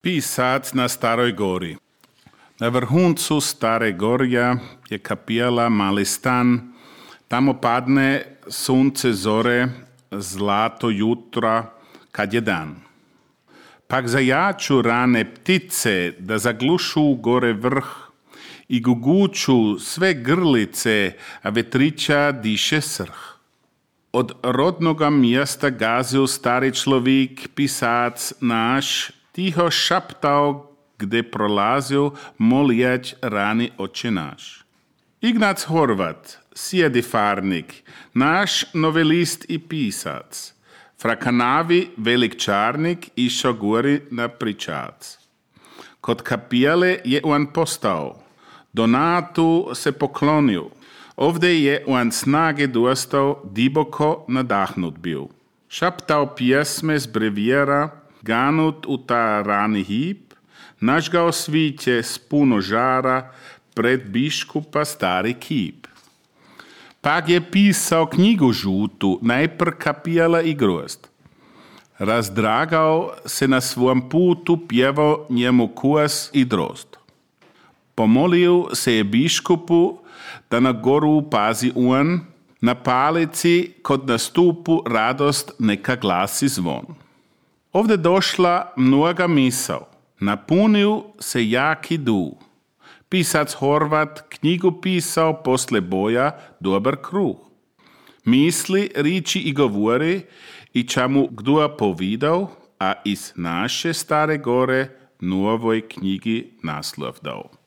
Pisac na Staroj Gori. Na vrhuncu Stare Gorja je kapijala Mali stan. Tamo padne sunce zore, zlato jutra, kad je dan. Pak zajaču rane ptice da zaglušu gore vrh i guguču sve grlice, a vetrića diše srh. Od rodnoga mjesta gazil stari človík, pisac náš, tiho šaptal, kde prolazil, molijać rani oče náš. Ignác Horvat, sjedifárnik, náš novelist i pisac. Fra Kanavi velik čárnik išao gori na pričac. Kod kapijale je on postao, Donatu se poklonil. Ovdje je on snage dostao, diboko nadahnut bil. Šaptao pjesme z brevijera, ganut u ta rani hip, nažgao sviće s puno žara, pred biškupa stari kip. Pak je pisao knjigu žutu, najpr kapijala i grozd. Razdragao se na svom putu, pjevao njemu kuas i drozd. Pomolil se je biškupu, da na goru pazi on, na palici kod nastupu radost neka glasi zvon. Ovdje došla mnoga misao, napunil se jaki du. Pisac Horvat knjigu pisao posle boja dobar kruh. Misli, riči i govori i čamu kdo povidao, a iz naše Stare Gore novoj knjigi naslov dao.